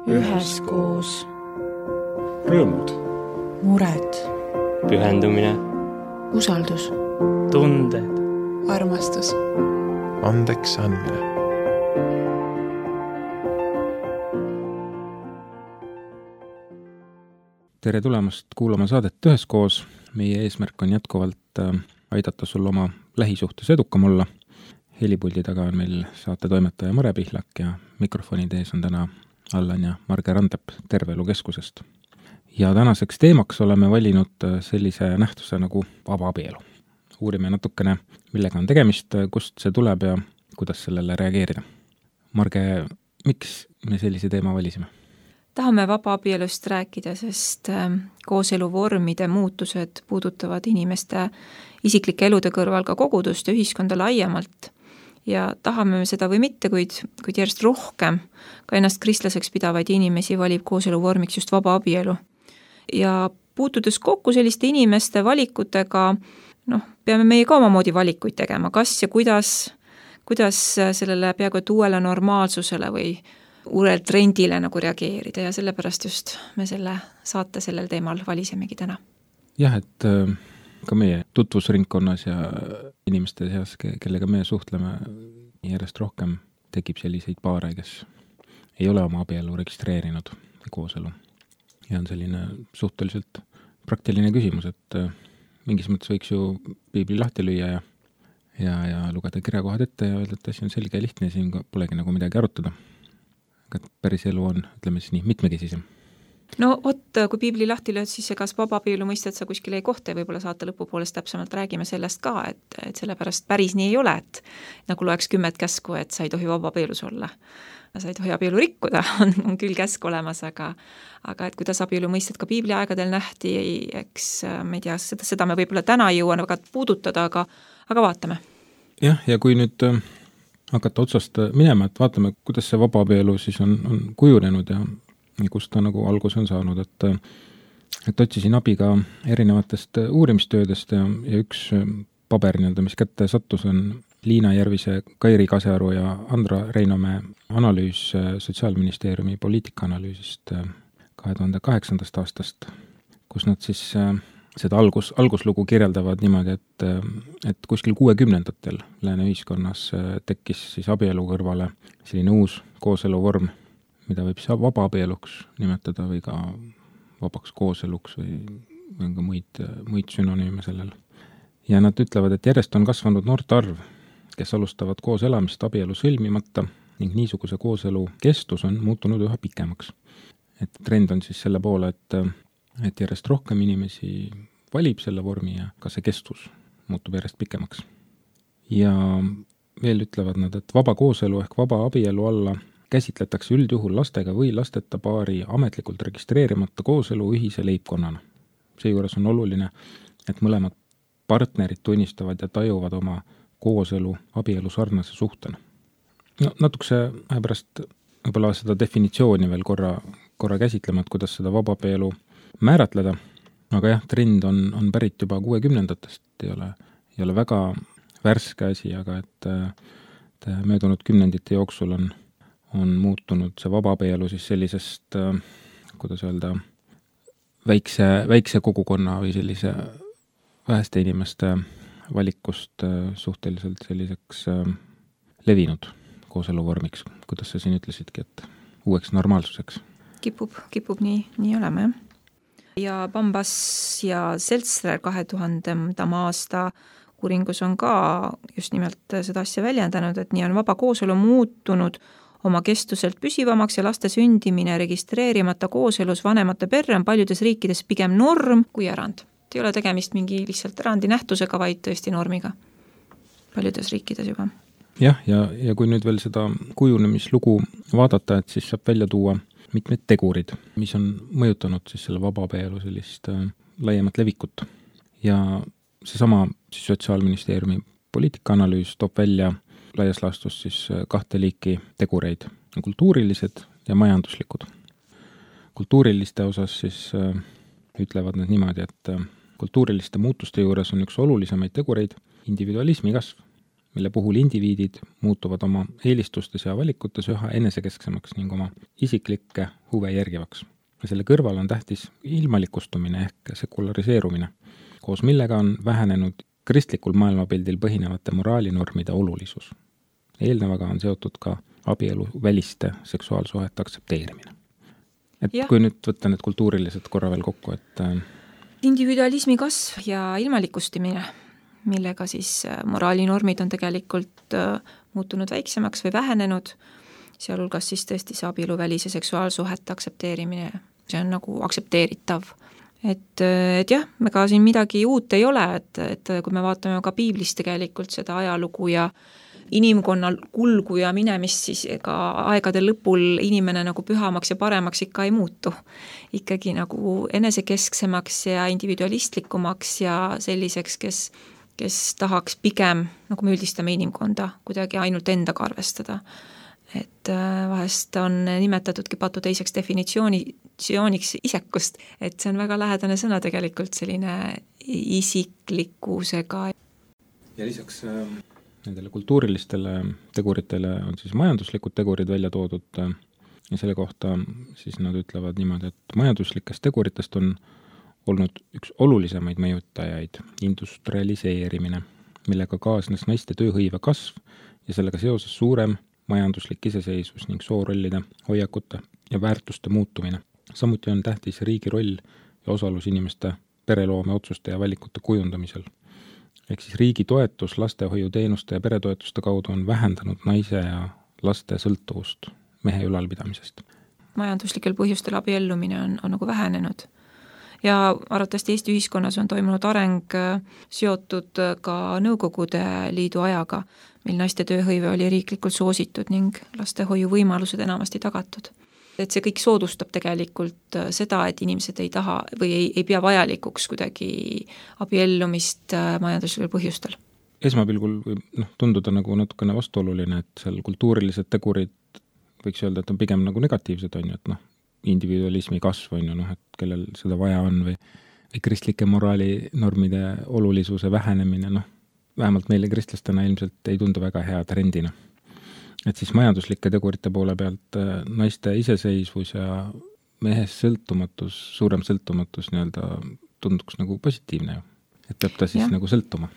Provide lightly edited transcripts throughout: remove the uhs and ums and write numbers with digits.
üheskoos. Rõõmud, mured, pühendumine, usaldus, tunded, armastus, andeks andmine. Tere tulemast kuulama saadet Üheskoos. Meie eesmärk on jätkuvalt aidata sul oma lähisuhtes edukam olla. Helipuldi taga on meil saate toimetaja Mare Pihlak ja mikrofonide ees on täna Allan ja Marge Randep Terve Elu Keskusest. Ja tänaseks teemaks oleme valinud sellise nähtuse nagu vaba abielu. Uurime natukene, millega on tegemist, kust see tuleb ja kuidas sellele reageerida. Marge, miks me sellise teema valisime? Tahame vaba abielust rääkida, sest kooseluvormide muutused puudutavad inimeste isiklike elude kõrval ka kogudust ja ühiskonda laiemalt. Ja tahame me seda või mitte, kuid järjest rohkem ka ennast kristlaseks pidavaid inimesi valib kooseluvormiks just vaba abielu. Ja puutudes kokku selliste inimeste valikutega, peame meie ka omamoodi valikuid tegema, kas ja kuidas sellele peaaegu et uuele normaalsusele või uuele trendile nagu reageerida ja sellepärast just me selle saate sellel teemal valisemegi täna. Jah, et ka meie tutvusringkonnas ja inimeste seas, kellega me suhtleme, järjest rohkem tekib selliseid paare, kes ei ole oma abielu registreerinud või kooselu. Ja on selline suhteliselt praktiline küsimus, et mingis mõttes võiks ju piibli lahti lüüa ja lugeda kirjakohad ette ja öelda, et asi on selge ja lihtne, siin polegi nagu midagi arutada. Aga päris elu on, ütleme siis nii, mitmekesisem. No kui piibli lahti lööd, siis kas vaba abielu mõistet sa kuskil ei kohta ja võib-olla saate lõpupoolest täpsemalt räägime sellest ka, et sellepärast päris nii ei ole, et nagu loeks 10 käsku, et sa ei tohi vaba abielus olla. Sa ei tohi abielu rikkuda, on küll käsk olemas, aga et kuidas abielu mõistet ka piibli aegadel nähti, eks me ei tea, seda me võib-olla täna ei jõua väga puudutada, aga vaatame. Jah, ja kui nüüd hakata otsast minema, et vaatame, kuidas see vaba abielu siis on kujunenud ja kust ta nagu alguse on saanud, et otsisin abi ka erinevatest uurimistöödest ja üks paber, mis kätte sattus, on Liina Järvise, Kairi Kasearu ja Andra Reinomäe analüüs Sotsiaalministeeriumi poliitikaanalüüsist 2008. aastast, kus nad siis seda alguslugu kirjeldavad niimoodi, et kuskil 60-ndatel lääne ühiskonnas tekkis siis abielu kõrvale selline uus kooseluvorm, mida võib siis vaba abieluks nimetada või ka vabaks kooseluks või on ka muid sünonüüme sellel. Ja nad ütlevad, et järjest on kasvanud noorte arv, kes alustavad koos elamist abielu sõlmimata ning niisuguse kooselu kestus on muutunud üha pikemaks. Et trend on siis selle poole, et järjest rohkem inimesi valib selle vormi ja ka see kestus muutub järjest pikemaks. Ja veel ütlevad nad, et vaba kooselu ehk vaba abielu alla käsitletakse üldjuhul lastega või lasteta paari ametlikult registreerimata kooselu ühise leibkonnana. Seejuures on oluline, et mõlemad partnerid tunnistavad ja tajuvad oma kooselu abielu sarnase suhtena. Natukese pärast võib-olla seda definitsiooni veel korra käsitlema, et kuidas seda vaba abielu määratleda, aga jah, trend on pärit juba 60-ndatest, ei ole väga värske asi, aga et möödunud kümnendite jooksul on muutunud see vaba abielu siis sellisest, kuidas öelda, väikse kogukonna või sellise väheste inimeste valikust suhteliselt selliseks levinud kooseluvormiks, kuidas sa siin ütlesidki, et uueks normaalsuseks. Kipub nii olema, jah. Ja Bambas ja Seltzer 2000. aasta uuringus on ka just nimelt seda asja väljendanud, et nii on vaba kooselu muutunud oma kestuselt püsivamaks ja laste sündimine registreerimata kooselus vanemate perre on paljudes riikides pigem norm kui erand. Ei ole tegemist mingi lihtsalt erandi nähtusega, vaid tõesti normiga paljudes riikides juba. Jah, ja kui nüüd veel seda kujunemislugu vaadata, et siis saab välja tuua mitmed tegurid, mis on mõjutanud siis selle vaba abielu sellist laiemat levikut. Ja seesama siis Sotsiaalministeeriumi poliitikaanalüüs toob välja laias laastus siis 2 liiki tegureid, kultuurilised ja majanduslikud. Kultuuriliste osas siis ütlevad nad niimoodi, et kultuuriliste muutuste juures on üks olulisemaid tegureid individualismi kasv mille puhul indiviidid muutuvad oma eelistustes ja valikutes üha enesekesksemaks ning oma isiklikke huve järgivaks. Ja selle kõrval on tähtis ilmalikustumine ehk sekulariseerumine, koos millega on vähenenud kristlikul maailmapildil põhinevate moraalinormide olulisus. Eelnevaga on seotud ka abielu väliste seksuaalsuhete aktsepteerimine. Kui nüüd võtta need kultuurilised korra veel kokku, et individualismi kasv ja ilmalikustumine, millega siis moraalinormid on tegelikult muutunud väiksemaks või vähenenud, sealhulgas siis tõesti see abielu välise seksuaalsuhete aktsepteerimine, see on nagu aktsepteeritav. Et jah, ega siin midagi uut ei ole, et kui me vaatame ka piiblis tegelikult seda ajalugu ja inimkonna kulgu ja minemist, siis ega aegade lõpul inimene nagu pühamaks ja paremaks ikka ei muutu. Ikkagi nagu enesekesksemaks ja individualistlikumaks ja selliseks, kes tahaks pigem, nagu me üldistame inimkonda, kuidagi ainult endaga arvestada. Et vahest on nimetatudki patu teiseks definitsiooniks isekust, et see on väga lähedane sõna tegelikult selline isiklikkusega. Ja lisaks nendele kultuurilistele teguritele on siis majanduslikud tegurid välja toodud ja selle kohta siis nad ütlevad niimoodi, et majanduslikest teguritest on olnud üks olulisemaid mõjutajaid industrialiseerimine, millega kaasnes naiste tööhõive kasv ja sellega seoses suurem majanduslik iseseisvus ning soorollide, hoiakute ja väärtuste muutumine. Samuti on tähtis riigi roll ja osalus inimeste pereloome otsuste ja valikute kujundamisel. Ehk siis riigi toetus lastehoiuteenuste ja peretoetuste kaudu on vähendanud naise ja laste sõltuvust mehe ülalpidamisest. Majanduslikel põhjustel abiellumine on nagu vähenenud. Ja arvatavasti Eesti ühiskonnas on toimunud areng seotud ka Nõukogude Liidu ajaga, mil naiste tööhõive oli riiklikult soositud ning lastehoiu võimalused enamasti tagatud. Et see kõik soodustab tegelikult seda, et inimesed ei taha või ei pea vajalikuks kuidagi abiellumist majanduslikel põhjustel. Esmapilgul võib tunduda nagu natukene vastuoluline, et seal kultuurilised tegurid võiks öelda, et on pigem nagu negatiivsed, on ju, et individualismi kasv on ju, et kellel seda vaja on või kristlike moraalinormide olulisuse vähenemine, vähemalt meile kristlastena ilmselt ei tundu väga hea trendina. Et siis majanduslike tegurite poole pealt naiste iseseisvus ja mehest sõltumatus, suurem sõltumatus tunduks nagu positiivne ju. Et peab ta siis nagu sõltuma.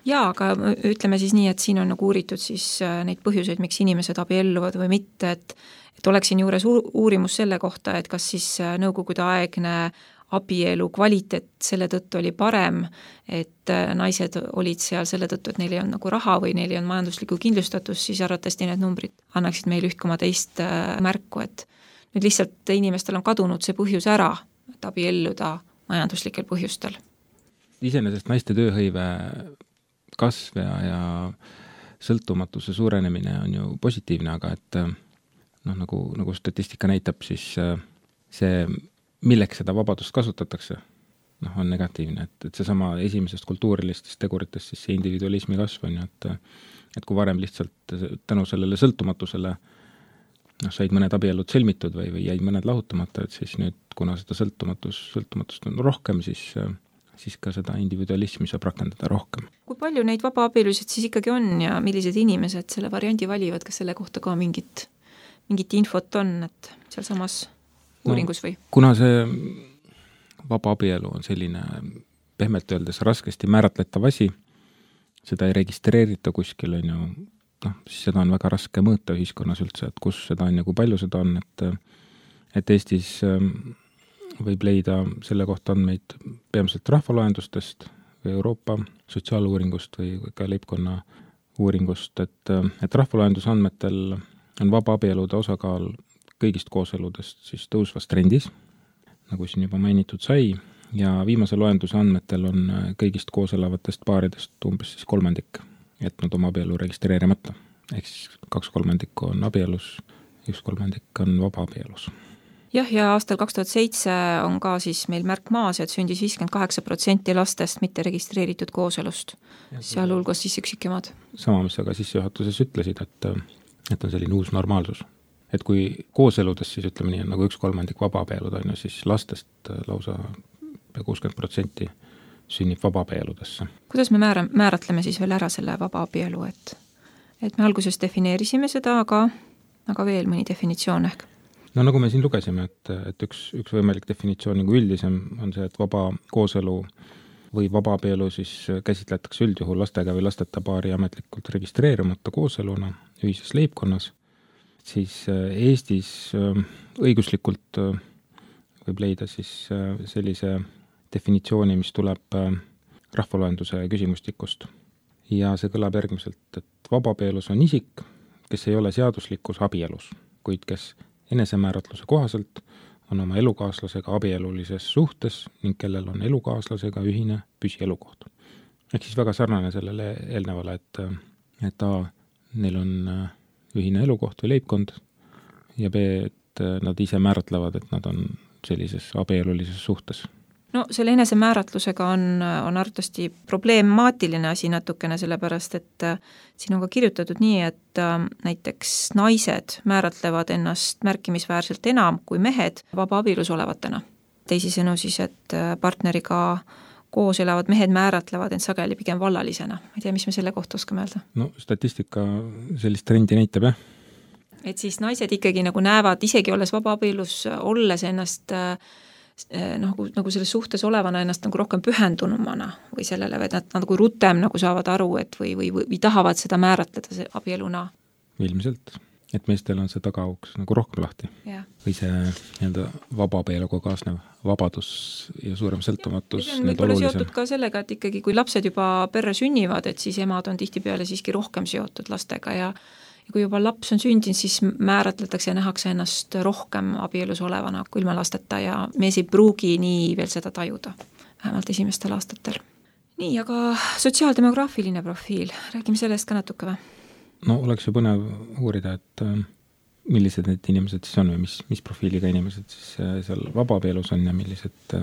Jaa, aga ütleme siis nii, et siin on nagu uuritud siis neid põhjuseid, miks inimesed abielluvad või mitte, et oleks siin juures uurimus selle kohta, et kas siis nõukogude aegne abielu kvaliteet selle tõttu oli parem, et naised olid seal selle tõttu, et neil ei olnud nagu raha või neil ei olnud majanduslikku kindlustatus, siis arvatavasti need numbrid annaksid meil 1,2 märku, et nüüd lihtsalt inimestel on kadunud see põhjus ära, et abielluda majanduslikel põhjustel. Iseenesest naiste tööhõive kasv ja sõltumatuse suurenemine on ju positiivne, aga et nagu statistika näitab, siis see, milleks seda vabadust kasutatakse, on negatiivne, et seesama esimesest kultuurilistest teguritest siis see individualismi kasv on ju, et kui varem lihtsalt tänu sellele sõltumatusele said mõned abiellud sõlmitud või jäid mõned lahutamata, et siis nüüd, kuna seda sõltumatust on rohkem, siis ka seda individualismi saab rakendada rohkem. Kui palju neid vabaabielusid siis ikkagi on ja millised inimesed selle variandi valivad, kas selle kohta ka mingit infot on, et seal samas uuringus või? Kuna see vabaabielu on selline pehmelt öeldes raskesti määratletav asi, seda ei registreerita kuskil, on ju, siis seda on väga raske mõõta ühiskonnas üldse, et kus seda on ja kui palju seda on, et Eestis võib leida selle kohta andmeid peamiselt rahvaloendustest või Euroopa sotsiaaluuringust või ka leibkonna uuringust, et rahvaloenduse andmetel on vabaabielude osakaal kõigist kooseludest siis tõusvas trendis, nagu siin juba mainitud sai, ja viimase loenduse andmetel on kõigist kooselavatest paaridest umbes siis 1/3 jätnud oma abielu registreerimata. Ehk siis 2/3 on abielus, 1/3 on vabaabielus. Jah, ja aastal 2007 on ka siis meil märk maas, et sündis 58% lastest mitte registreeritud kooselust, sealhulgas siis üksikemad. Sama, mis aga sissejuhatuses ütlesid, et on selline uus normaalsus. Et kui kooseludes siis ütleme nii, nagu 1/3 vabaabielud on ju, siis lastest lausa 60% sünnib vabaabieludesse. Kuidas me määratleme siis veel ära selle vabaabielu, et me alguses defineerisime seda, aga veel mõni definitsioon ehk? No nagu me siin lugesime, et üks võimalik definitsioon nagu üldisem on see, et vaba kooselu või vabaabielu siis käsitletakse üldjuhul lastega või lasteta paari ametlikult registreerimata kooseluna ühises leibkonnas, siis Eestis õiguslikult võib leida siis sellise definitsiooni, mis tuleb rahvaloenduse küsimustikust. Ja see kõlab järgmiselt, et vabaabielus on isik, kes ei ole seaduslikus abielus, kuid kes enesemääratluse kohaselt on oma elukaaslasega abielulises suhtes ning kellel on elukaaslasega ühine püsielukoht. Ehk siis väga sarnane sellele eelnevale, et A, neil on ühine elukoht või leibkond ja B, et nad ise määratlevad, et nad on sellises abielulises suhtes. No selle enesemääratlusega on arvatavasti problemaatiline asi natukene, sellepärast et siin on ka kirjutatud nii, et näiteks naised määratlevad ennast märkimisväärselt enam kui mehed vabaabielus olevatena. Teisisõnu siis, et partneriga koos elavad mehed määratlevad end sageli pigem vallalisena. Ma ei tea, mis me selle kohta oskame öelda? No statistika sellist trendi näitab, jah. Et siis naised ikkagi nagu näevad, isegi olles vabaabielus olles ennast nagu selles suhtes olevana ennast nagu rohkem pühendunumana või sellele, et nad nagu rutem nagu saavad aru, et või tahavad seda määratleda see abieluna. Ilmselt, et meestel on see tagauks nagu rohkem lahti. Ja. Või see nii-öelda vabaabioluga kaasnev vabadus ja suurem sõltumatus. See on võib-olla seotud ka sellega, et ikkagi kui lapsed juba perre sünnivad, et siis emad on tihtipeale siiski rohkem seotud lastega ja kui juba laps on sündinud, siis määratletakse ja nähakse ennast rohkem abielus olevana kui ilma lasteta ja mees ei pruugi nii veel seda tajuda, vähemalt esimestel aastatel. Nii, aga sotsiaaldemograafiline profiil, räägime sellest ka natuke või? No oleks ju põnev uurida, et millised need inimesed siis on või mis profiiliga inimesed siis seal vabaabielus on ja millised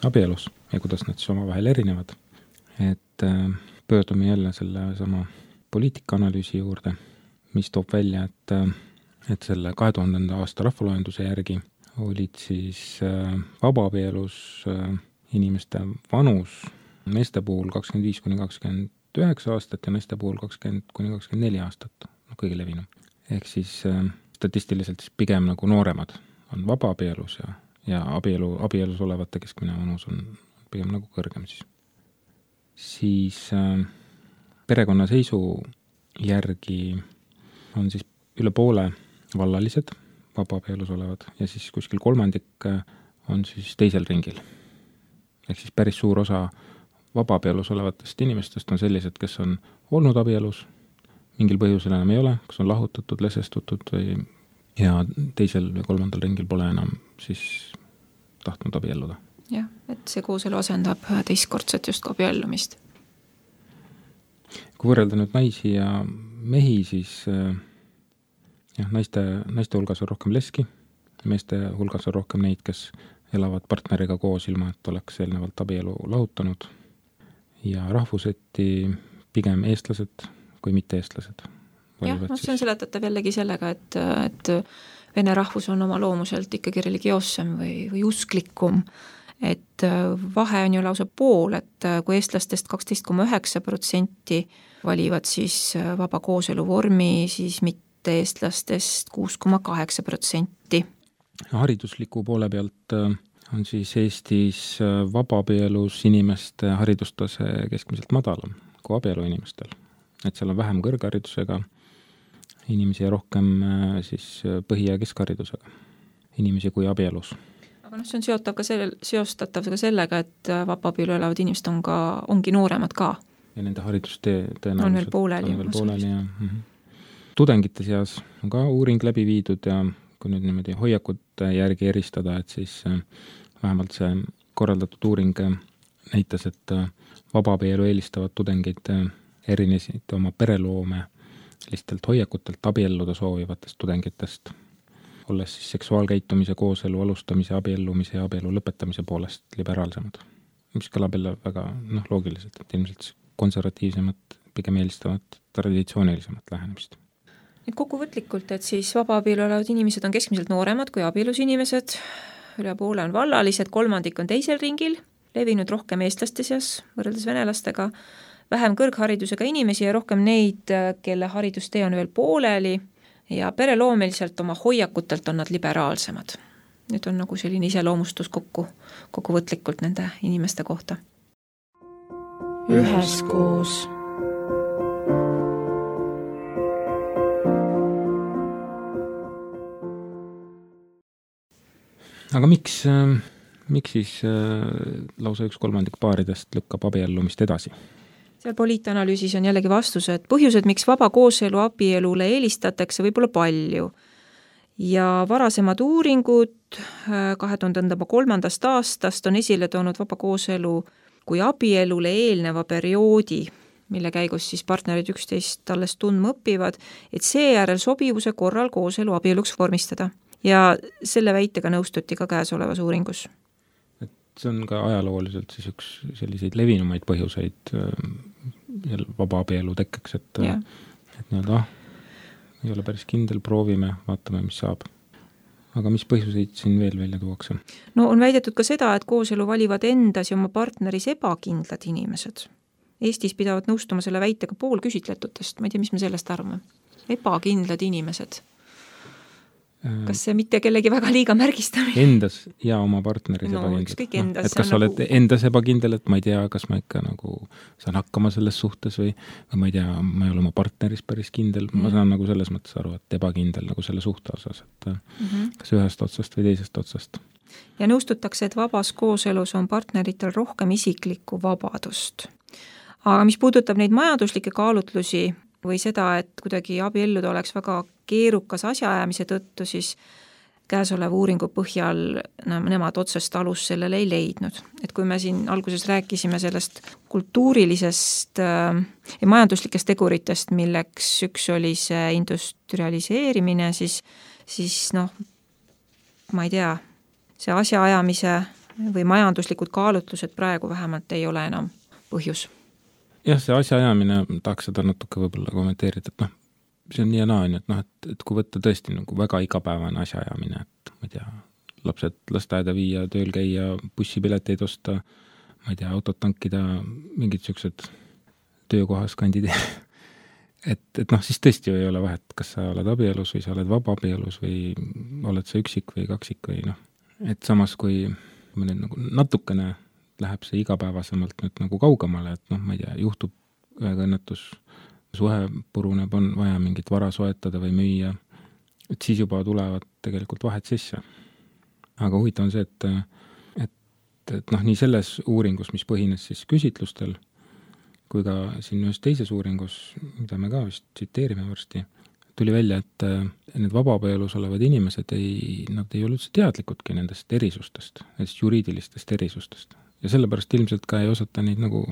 abielus ja kuidas nad siis omavahel erinevad. Et pöördume jälle selle sama poliitikaanalüüsi juurde, mis toob välja, et selle 2000. aasta rahvaloenduse järgi olid siis vabaabielus inimeste vanus meeste puhul 25–29 aastat ja naiste puhul 20–24 aastat, kõige levinum. Ehk siis statistiliselt siis pigem nagu nooremad on vabaabielus ja abielus olevate keskmine vanus on pigem nagu kõrgem siis. Siis perekonnaseisu järgi on siis üle poole vallalised vabaabielus olevad ja siis kuskil kolmandik on siis teisel ringil. Ehk siis päris suur osa vabaabielus olevatest inimestest on sellised, kes on olnud abielus, mingil põhjusel enam ei ole, kas on lahutatud, lesestutud ja teisel või kolmandal ringil pole enam siis tahtnud abielluda. Jah, et see kooselu asendab teistkordset just abiellumist. Kui võrrelda nüüd naisi ja mehi, siis naiste hulgas on rohkem leski, meeste hulgas on rohkem neid, kes elavad partneriga koos ilma, et oleks eelnevalt abielu lahutanud ja rahvuseti pigem eestlased kui mitte eestlased. Jah, see on seletatav jällegi sellega, et vene rahvus on oma loomuselt ikkagi religioossem või usklikum, et vahe on ju lausa pool, et kui eestlastest 12,9% valivad siis vaba kooselu vormi, siis mitte eestlastest 6,8%. Haridusliku poole pealt on siis Eestis vabaabielus inimeste haridustase keskmiselt madalam kui abielu inimestel. Et seal on vähem kõrgharidusega inimesi ja rohkem siis põhi- ja keskharidusega inimesi kui abielus. Aga see on seostatav ka sellega, et vabaabielu elavad inimesed ongi nooremad ka. Ja nende haridustee tõenäoliselt on veel pooleli. Ja. Tudengite seas on ka uuring läbi viidud ja kui nüüd niimoodi hoiakute järgi eristada, et siis vähemalt see korraldatud uuring näitas, et vabaabielu eelistavad tudengid erinesid oma pereloome lihtsalt hoiakutelt abielluda soovivatest tudengitest, olles siis seksuaalkäitumise, kooselu alustamise, abiellumise ja abielu lõpetamise poolest liberaalsemad. Mis kõlab jälle väga loogiliselt, et ilmselt konservatiivsemat, pigem eelistavad traditsioonilisemat lähenemist. Nüüd kokkuvõtlikult, et siis vabaabielu olevad inimesed on keskmiselt nooremad kui abielus inimesed, üle poole on vallalised, kolmandik on teisel ringil levinud rohkem eestlaste seas võrreldes venelastega, vähem kõrgharidusega inimesi ja rohkem neid, kelle haridustee on veel pooleli ja pereloomeliselt oma hoiakutelt on nad liberaalsemad. Nüüd on nagu selline iseloomustus kokkuvõtlikult nende inimeste kohta. Üheskoos. Aga miks siis lausa 1/3 paaridest lükkab abiellumist edasi? Seal poliitanalüüsis on jällegi vastus, et põhjused, miks vaba kooselu abielule eelistatakse, võib olla palju. Ja varasemad uuringud 2003. aastast on esile toonud vaba kooselu kui abielule eelneva perioodi, mille käigus siis partnerid üksteist alles tundma õpivad, et seejärel sobivuse korral kooselu abieluks vormistada. Ja selle väitega nõustuti ka käesolevas uuringus. Et see on ka ajalooliselt siis üks selliseid levinumaid põhjuseid vaba abielu tekkeks, et nii-öelda ei ole päris kindel, proovime, vaatame, mis saab. Aga mis põhjuseid siin veel välja tuuakse? No on väidetud ka seda, et kooselu valivad endas ja oma partneris ebakindlad inimesed. Eestis pidavad nõustuma selle väitega pool küsitletutest, ma ei tea, mis me sellest arvame. Ebakindlad inimesed. Kas see mitte kellegi väga liiga märgistamine? Endas ja oma partneris ebakindlad. Et kas sa oled endas ebakindel, et ma ei tea, kas ma ikka nagu saan hakkama selles suhtes või ma ei tea, ma ei ole oma partneris päris kindel. Ma saan nagu selles mõttes aru, et ebakindel nagu selle suhte osas, et kas ühest otsast või teisest otsast. Ja nõustutakse, et vabas kooselus on partneritel rohkem isiklikku vabadust. Aga mis puudutab neid majanduslikke kaalutlusi või seda, et kuidagi abielluda oleks väga keerukas asjaajamise tõttu, siis käesoleva uuringu põhjal nemad otsest alus sellele ei leidnud. Et kui me siin alguses rääkisime sellest kultuurilisest ja majanduslikest teguritest, milleks üks oli see industrialiseerimine, siis ma ei tea, see asjaajamise või majanduslikud kaalutlused praegu vähemalt ei ole enam põhjus. Jah, see asjaajamine, tahaks seda natuke võib-olla kommenteerida, et see on nii ja naa, et kui võtta tõesti nagu väga igapäevane asjaajamine, et ma ei tea, lapsed lasteaeda viia, tööl käia, bussipileteid osta, ma ei tea, autot tankida, mingid siuksed töökohas kandideerida. Et siis tõesti ei ole vahet, kas sa oled abielus või sa oled vaba abielus või oled sa üksik või kaksik või Et samas, kui nüüd nagu natukene läheb see igapäevasemalt nüüd nagu kaugemale, et ma ei tea, juhtub ühega õnnetus, suhe puruneb, on vaja mingit vara soetada või müüa, et siis juba tulevad tegelikult vahed sisse. Aga huvitav on see, et nii selles uuringus, mis põhines siis küsitlustel, kui ka siin ühes teises uuringus, mida me ka vist tsiteerime varsti, tuli välja, et need vabaabelus olevad inimesed nad ei ole üldse teadlikudki nendest erisustest, nendest juriidilistest erisustest. Ja sellepärast ilmselt ka ei osata neid nagu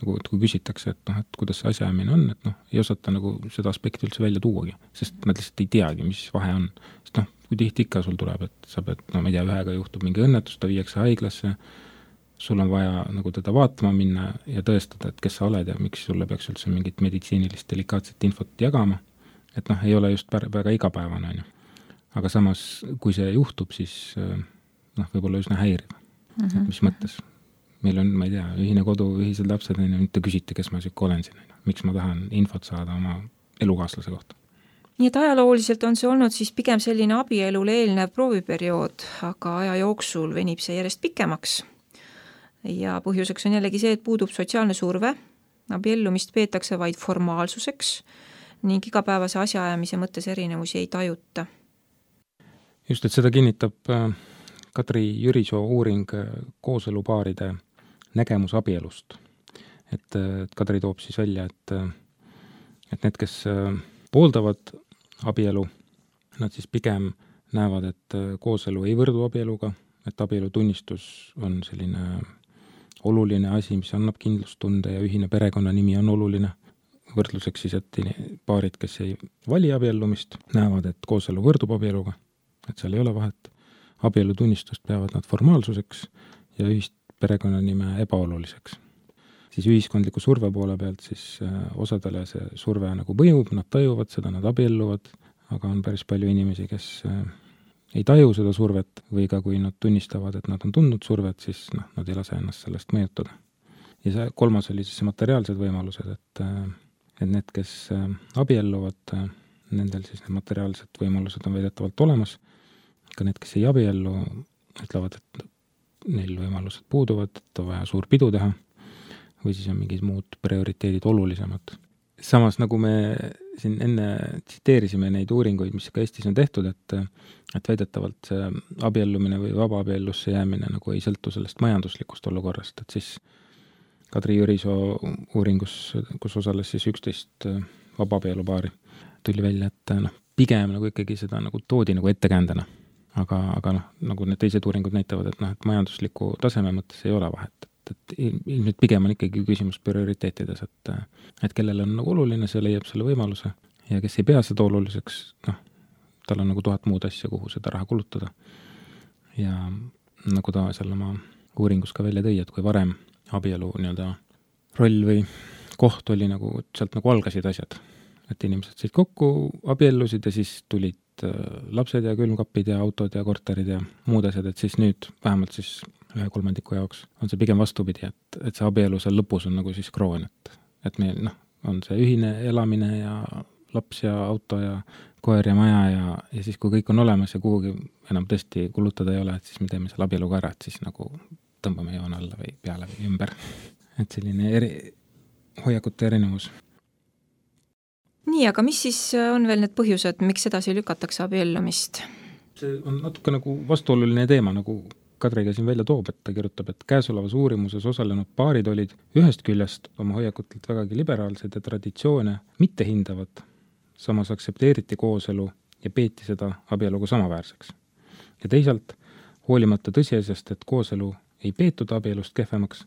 kui küsitakse, et kuidas see asjaajamine on, et ei osata nagu seda aspekti üldse välja tuuagi, sest nad lihtsalt ei teagi, mis vahe on. Sest kui tihti ikka sul tuleb, et sa pead, ma ei tea, ühega juhtub mingi õnnetus, ta viiakse haiglasse, sul on vaja nagu teda vaatama minna ja tõestada, et kes sa oled ja miks sulle peaks üldse mingit meditsiinilist delikaatset infot jagama, et ei ole just väga igapäevane. Aga samas, kui see juhtub, siis võib-olla üsna häiriv. Mis mõttes? Meil on, ma ei tea, ühine kodu, ühised lapsed, mitte küsite, kes ma siuke olen siin, miks ma tahan infot saada oma elukaaslase kohta. Nii et ajalooliselt on see olnud siis pigem selline abielule eelnev prooviperiood, aga aja jooksul venib see järjest pikemaks. Ja põhjuseks on jällegi see, et puudub sotsiaalne surve, abiellumist peetakse vaid formaalsuseks ning igapäevase asjaajamise mõttes erinevusi ei tajuta. Just, et seda kinnitab Katri Jürisoo uuring kooselupaaride nägemus abielust. Et Kadri toob siis välja, et need, kes pooldavad abielu, nad siis pigem näevad, et kooselu ei võrdu abieluga, et abielu tunnistus on selline oluline asi, mis annab kindlustunde ja ühine perekonnanimi on oluline. Võrdluseks siis, et paarid, kes ei vali abiellumist, näevad, et kooselu võrdub abieluga, et seal ei ole vahet. Abielu tunnistust peavad nad formaalsuseks ja ühist perekonnanime ebaoluliseks. Siis ühiskondliku surve poole pealt siis osadele see surve nagu mõjub, nad tajuvad seda, nad abielluvad, aga on päris palju inimesi, kes ei taju seda survet või ka kui nad tunnistavad, et nad on tundnud survet, siis nad ei lase ennast sellest mõjutada. Ja see kolmas oli siis materiaalsed võimalused, et need, kes abielluvad, nendel siis need materiaalsed võimalused on väidetavalt olemas. Ka need, kes ei abiellu, ütlevad, et neil võimalused puuduvad, et on vaja suur pidu teha või siis on mingid muud prioriteedid olulisemad. Samas, nagu me siin enne tsiteerisime neid uuringuid, mis ka Eestis on tehtud, et väidetavalt see abiellumine või vabaabiellusse jäämine nagu ei sõltu sellest majanduslikust olukorrast, et siis Kadri Jürisoo uuringus, kus osales siis 11 vabaabiellupaari, tuli välja, et pigem nagu ikkagi seda nagu toodi nagu ettekäändena. Aga nagu need teised uuringud näitavad, et majandusliku taseme mõttes ei ole vahet. Et nüüd pigem on ikkagi küsimus prioriteetides, et kellel on nagu oluline, see leiab selle võimaluse ja kes ei pea seda oluliseks, tal on nagu 1000 muud asja, kuhu seda raha kulutada. Ja nagu ta seal oma uuringus ka välja tõi, et kui varem abielu nii-öelda roll või koht oli nagu, sealt nagu algasid asjad, et inimesed said kokku, abiellusid ja siis tulid lapsed ja külmkapid ja autod ja korterid ja muud asjad, et siis nüüd vähemalt siis 1/3 jaoks on see pigem vastupidi, et see abielu seal lõpus on nagu siis kroon, et meil on see ühine elamine ja laps ja auto ja koer ja maja ja siis kui kõik on olemas ja kuhugi enam tõesti kulutada ei ole, et siis me teeme seal abieluga ära, et siis nagu tõmbame joon alla või peale või ümber. Et selline hoiakute erinevus. Nii, aga mis siis on veel need põhjused, miks edasi lükatakse abiellumist? See on natuke nagu vastuoluline teema, nagu Kadri ka siin välja toob, et ta kirjutab, et käesolevas uurimuses osalenud paarid olid ühest küljest oma hoiakutelt vägagi liberaalsed ja traditsioone mitte hindavad, samas aksepteeriti kooselu ja peeti seda abieluga samaväärseks. Ja teisalt, hoolimata tõsiasjast, et kooselu ei peetud abielust kehvemaks,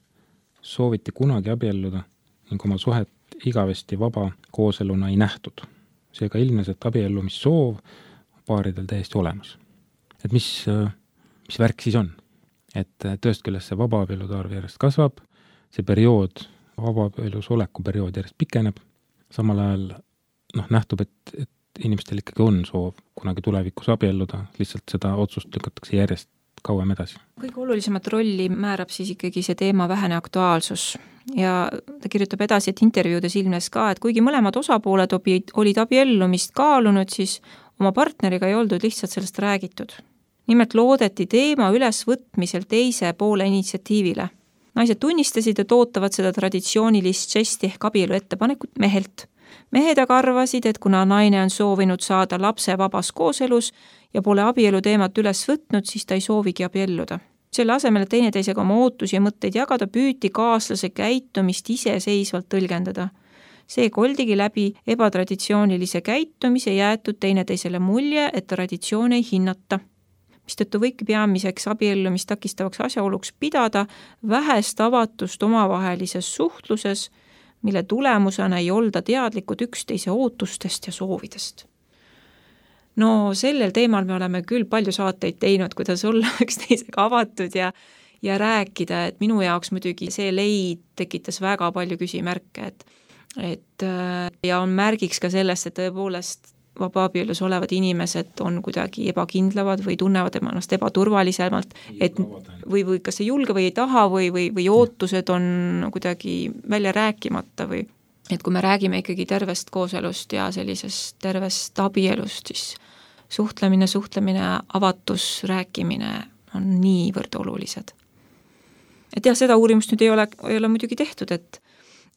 sooviti kunagi abielluda ning oma suhet igavesti vaba kooseluna ei nähtud. Seega ilmnes, et abiellumissoov paaridel täiesti olemas. Et mis värk siis on? Et tööst küljest see vabaabielude arv järjest kasvab, see periood, vabaabelus oleku periood järjest pikeneb, samal ajal nähtub, et inimestel ikkagi on soov kunagi tulevikus abielluda, lihtsalt seda otsust lükatakse järjest kauem edasi. Kõige olulisemat rolli määrab siis ikkagi see teema vähene aktuaalsus ja ta kirjutab edasi, et intervjuudes ilmnes ka, et kuigi mõlemad osapooled olid abiellumist kaalunud, siis oma partneriga ei oldud lihtsalt sellest räägitud. Nimelt loodeti teema ülesvõtmisel teise poole initsiatiivile. Naised tunnistasid, et ootavad seda traditsioonilist žesti ehk abielu ettepanekut mehelt. Mehed aga arvasid, et kuna naine on soovinud saada lapse vabas kooselus ja pole abielu teemat üles võtnud, siis ta ei soovigi abielluda. Selle asemel, et teineteisega oma ootusi ja mõtteid jagada, püüti kaaslase käitumist iseseisvalt tõlgendada. See koldigi läbi ebatraditsioonilise käitumise jäetud teineteisele mulje, et traditsioone ei hinnata. Mistõttu võiki peamiseks abiellumist takistavaks asjaoluks pidada vähest avatust omavahelises suhtluses, mille tulemusena ei olda teadlikud üksteise ootustest ja soovidest. No sellel teemal me oleme küll palju saateid teinud, kuidas olla üksteisega avatud ja rääkida, et minu jaoks muidugi see leid tekitas väga palju küsimärke, ja on märgiks ka sellest, et tõepoolest vabaabielus olevad inimesed on kuidagi ebakindlavad või tunnevad ennast ebaturvalisemalt, et või kas ei julge või ei taha või ootused on kuidagi välja rääkimata või et kui me räägime ikkagi tervest kooselust ja sellisest tervest abielust, siis suhtlemine, avatus, rääkimine on niivõrd olulised. Et jah, seda uurimust nüüd ei ole muidugi tehtud, et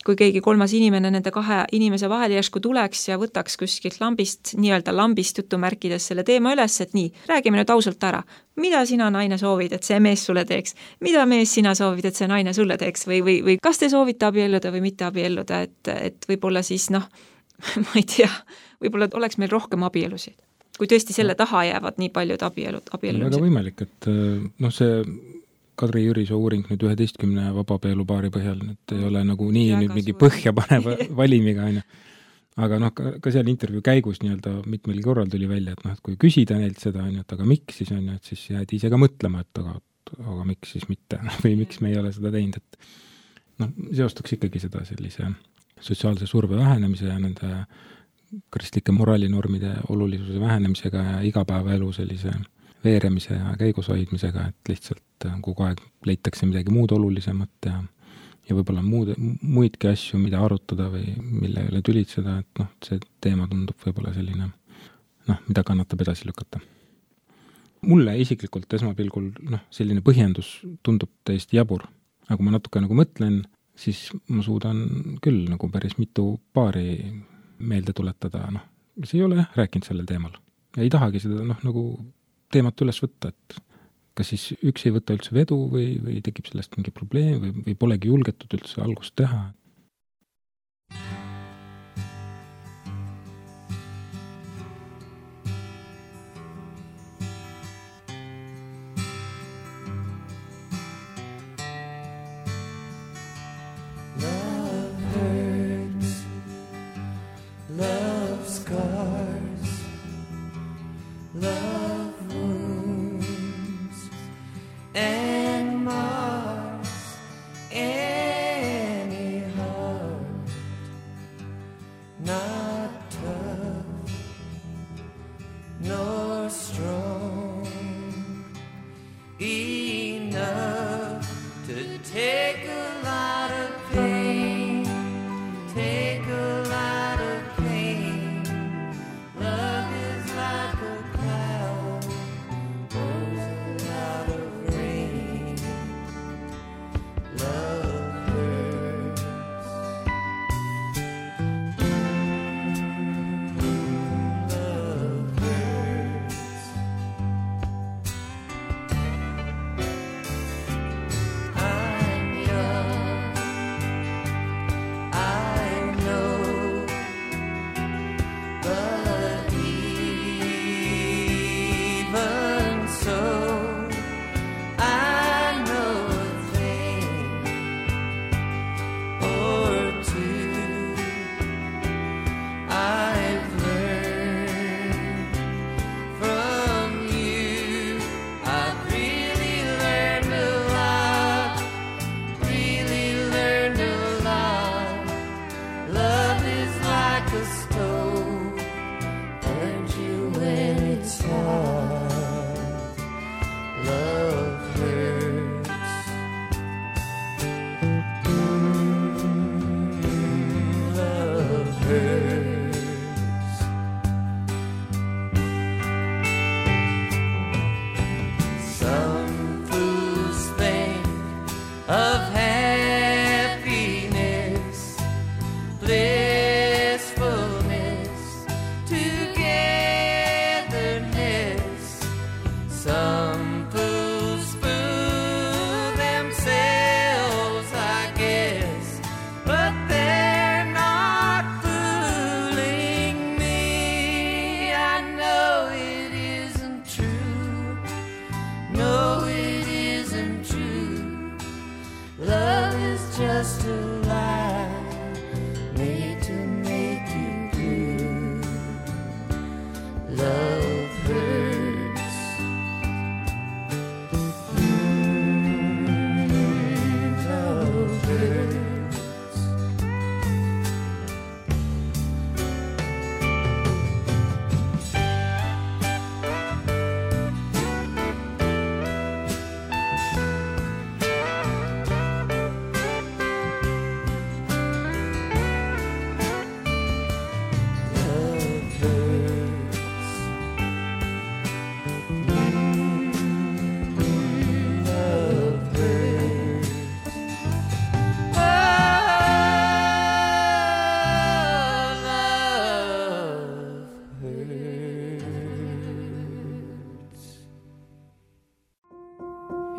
kui keegi kolmas inimene nende kahe inimese vahel järsku tuleks ja võtaks kuskilt lambist jutumärkides selle teema üles, et nii, räägime nüüd ausalt ära. Mida sina, naine, soovid, et see mees sulle teeks? Mida mees sina soovid, et see naine sulle teeks? Või kas te soovite abielluda või mitte abielluda? Et võib-olla siis, ma ei tea, võib-olla oleks meil rohkem abielusid. Kui tõesti selle taha jäävad nii paljud abiellumised. Väga võimalik, et see Kadri Jürisoo uuring nüüd 11 vabaabielu-paari põhjal, et ei ole nagu nii nüüd mingi põhja paneva valimiga, aga ka seal intervjuu käigus nii-öelda mitmel korral tuli välja, et kui küsida neilt seda, et aga miks siis on, et siis jäädi ise ka mõtlema, et aga miks siis mitte või miks me ei ole seda teinud, et seostaks ikkagi seda sellise sotsiaalse surve vähenemise ja nende kristlike moraalinormide olulisuse vähenemisega ja igapäevaelu sellise veeremise ja käigus hoidmisega, et lihtsalt kogu aeg leitakse midagi muud olulisemat ja võib-olla muidki asju, mida arutada või mille üle tülitseda, et see teema tundub võib-olla selline, mida kannatab edasi lükata. Mulle isiklikult esmapilgul selline põhjendus tundub täiesti jabur. Aga kui ma natuke mõtlen, siis ma suudan küll päris mitu paari meelde tuletada, mis ei ole rääkinud sellel teemal. Ja ei tahagi seda teemat üles võtta, et kas siis üks ei võta üldse vedu või tekib sellest mingi probleem või polegi julgetud üldse algust teha.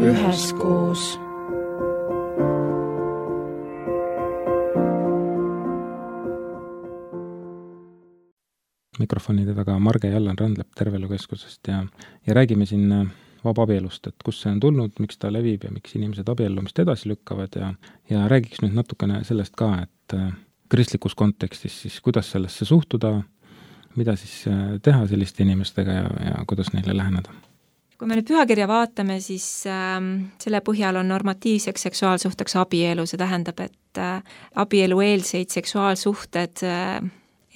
Üheskoos. Mikrofonide taga Marge Jallan Randlep Terveelukeskusest ja räägime siin vabaabielust, et kus see on tulnud, miks ta levib ja miks inimesed abiellumist edasi lükkavad ja räägiks nüüd natukene sellest ka, et kristlikus kontekstis siis kuidas sellesse suhtuda, mida siis teha selliste inimestega ja kuidas neile läheneda. Kui me nüüd pühakirja vaatame, siis selle põhjal on normatiivseks seksuaalsuhteks abielu, see tähendab, et abielueelseid seksuaalsuhted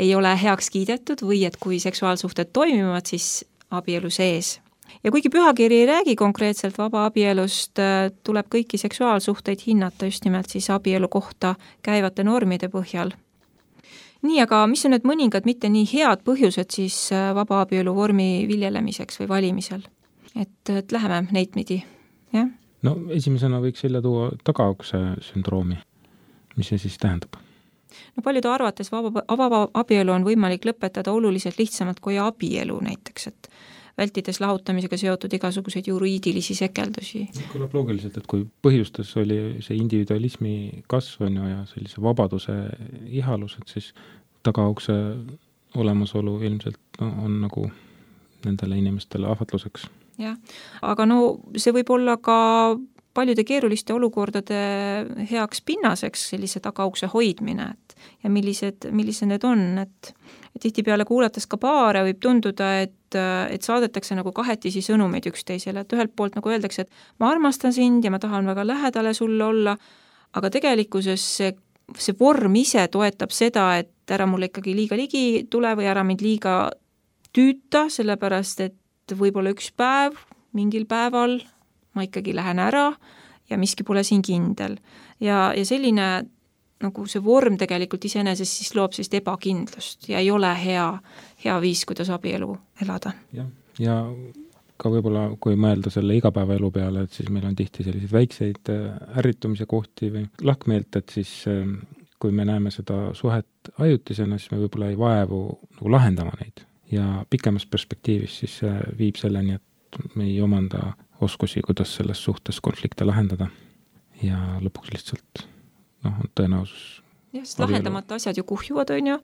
ei ole heaks kiidetud või et kui seksuaalsuhted toimivad, siis abielu sees. Ja kuigi pühakiri ei räägi konkreetselt vabaabielust, tuleb kõiki seksuaalsuhteid hinnata just nimelt siis abielu kohta käivate normide põhjal. Nii, aga mis on need mõningad mitte nii head põhjused siis vabaabielu vormi viljelemiseks või valimisel? Et läheme neid pidi, jah? No esimesena võiks välja tuua tagaukse sündroomi. Mis see siis tähendab? No paljude arvates vaba abielu on võimalik lõpetada oluliselt lihtsamalt kui abielu näiteks, et vältides lahutamisega seotud igasuguseid juriidilisi sekeldusi. Kõlab loogiliselt, et kui põhjustas oli see individualismi kasv ja sellise vabaduse ihalus, et siis tagaukse olemasolu ilmselt on nagu nendele inimestele ahvatluseks. Jah, aga no see võib olla ka paljude keeruliste olukordade heaks pinnaseks sellise tagaukse hoidmine, ja millised need on, et tihtipeale kuulates ka paare võib tunduda, et saadetakse nagu kahetisi sõnumeid üksteisele, et ühelt poolt nagu öeldakse, et ma armastan sind ja ma tahan väga lähedale sulle olla, aga tegelikkuses see vorm ise toetab seda, et ära mulle ikkagi liiga ligi tule või ära mind liiga tüüta, sellepärast et võib-olla üks päev, mingil päeval ma ikkagi lähen ära ja miski pole siin kindel. Ja selline nagu see vorm tegelikult iseenesest siis loob sellist ebakindlust ja ei ole hea viis, kuidas abielu elada. Ja ka võib-olla, kui mõelda selle igapäevaelu peale, et siis meil on tihti selliseid väikseid ärritumise kohti või lahkmeelt, et siis kui me näeme seda suhet ajutisena, siis me võib-olla ei vaevu nagu lahendama neid. Ja pikemas perspektiivis siis viib selleni, et me ei omanda oskusi, kuidas selles suhtes konflikte lahendada ja lõpuks lihtsalt on tõenäosus. Jah, sest lahendamata asjad ju kuhjuvad, on ju,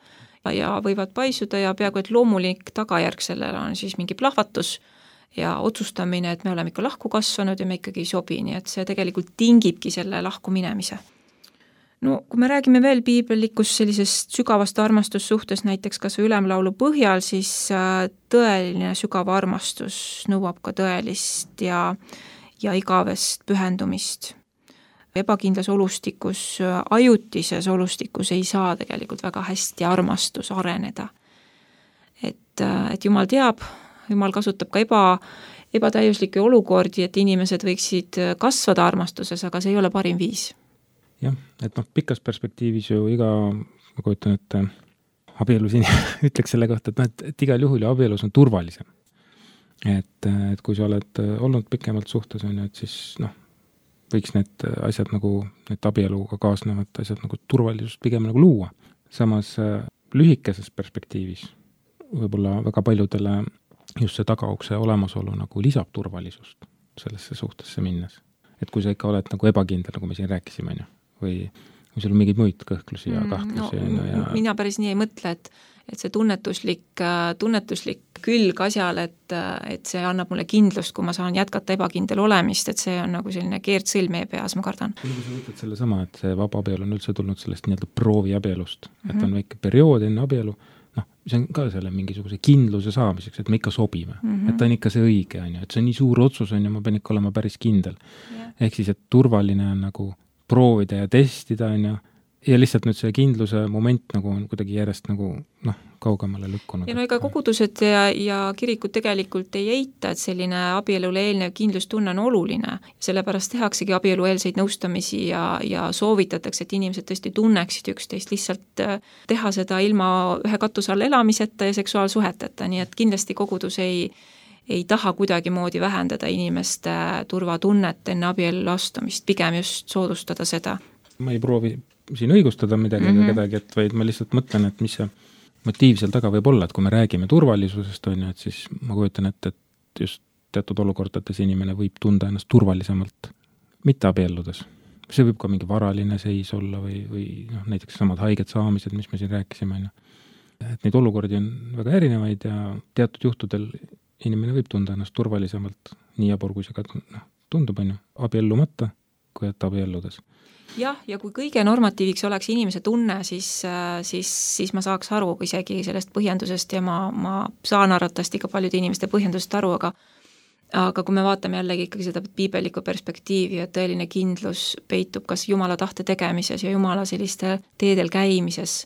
ja võivad paisuda ja peaaegu et loomulik tagajärg sellele on siis mingi plahvatus ja otsustamine, et me oleme ikka lahku kasvanud ja me ikkagi ei sobi, nii et see tegelikult tingibki selle lahku minemise. No kui me räägime veel piiblikust sellisest sügavast armastussuhtes näiteks kas ülemlaulu põhjal, siis tõeline sügav armastus nõuab ka tõelist ja igavest pühendumist. Ebakindlas olustikus, ajutises olustikus ei saa tegelikult väga hästi armastus areneda. Et Jumal teab, Jumal kasutab ka ebatäiuslikke olukordi, et inimesed võiksid kasvada armastuses, aga see ei ole parim viis. Jah, et pikas perspektiivis ju ma kujutan, et abielus ütleks selle kohta, et igal juhul ju abielus on turvalisem. Et kui sa oled olnud pikemalt suhtes, et siis võiks need asjad nagu, need abieluga kaasnevad asjad nagu turvalisust pigem nagu luua. Samas lühikeses perspektiivis võib-olla väga paljudele just see tagaukse olemasolu nagu lisab turvalisust sellesse suhtesse minnes. Et kui sa ikka oled nagu ebakindel, nagu me siin rääkisime, või sul on mingeid muid kõhklusi ja kahtlusi. Mina päris nii ei mõtle, et see tunnetuslik külg asjal, et see annab mulle kindlust, kui ma saan jätkata ebakindel olemist, et see on nagu selline keerdsõlm meie peas, ma kardan. Kui sa võtad selle sama, et see vaba abielu on üldse tulnud sellest nii-öelda proovi abielust, et on väike periood enne abielu, see on ka selle mingisuguse kindluse saamiseks, et me ikka sobime, et ta on ikka see õige, et see on nii suur otsus, ma pean ikka olema päris kindel. Ehk siis, et turvaline on nagu proovida ja testida, ja lihtsalt nüüd see kindluse moment nagu on kuidagi järjest nagu kaugemale lükkunud. Ja ega kogudused ja kirikud tegelikult ei eita, et selline abielule eelnev kindlustunne on oluline. Sellepärast tehaksegi abielueelseid nõustamisi ja soovitatakse, et inimesed tõesti tunneksid üksteist, lihtsalt teha seda ilma ühe katuse all elamiseta ja seksuaalsuheteta, nii et kindlasti kogudus ei taha kuidagi moodi vähendada inimeste turvatunnet enne abiellu astumist, pigem just soodustada seda. Ma ei proovi siin õigustada midagi kedagi, et vaid ma lihtsalt mõtlen, et mis see motiiv seal taga võib olla, et kui me räägime turvalisusest, et siis ma kujutan, et just teatud olukordades inimene võib tunda ennast turvalisemalt mitte abielludes. See võib ka mingi varaline seis olla või näiteks samad haiged saamised, mis me siin rääkisime. Et neid olukordi on väga erinevaid ja teatud juhtudel inimene võib tunda ennast turvalisemalt nii jabur, kui see ka tundub, abiellumata, kui et abielludes. Jah, ja kui kõige normatiiviks oleks inimese tunne, siis ma saaks aru isegi sellest põhjendusest ja ma saan arvatavasti ka paljude inimeste põhjendusest aru, aga kui me vaatame jällegi ikkagi seda piibelikku perspektiivi, et tõeline kindlus peitub kas Jumala tahte tegemises ja Jumala selliste teedel käimises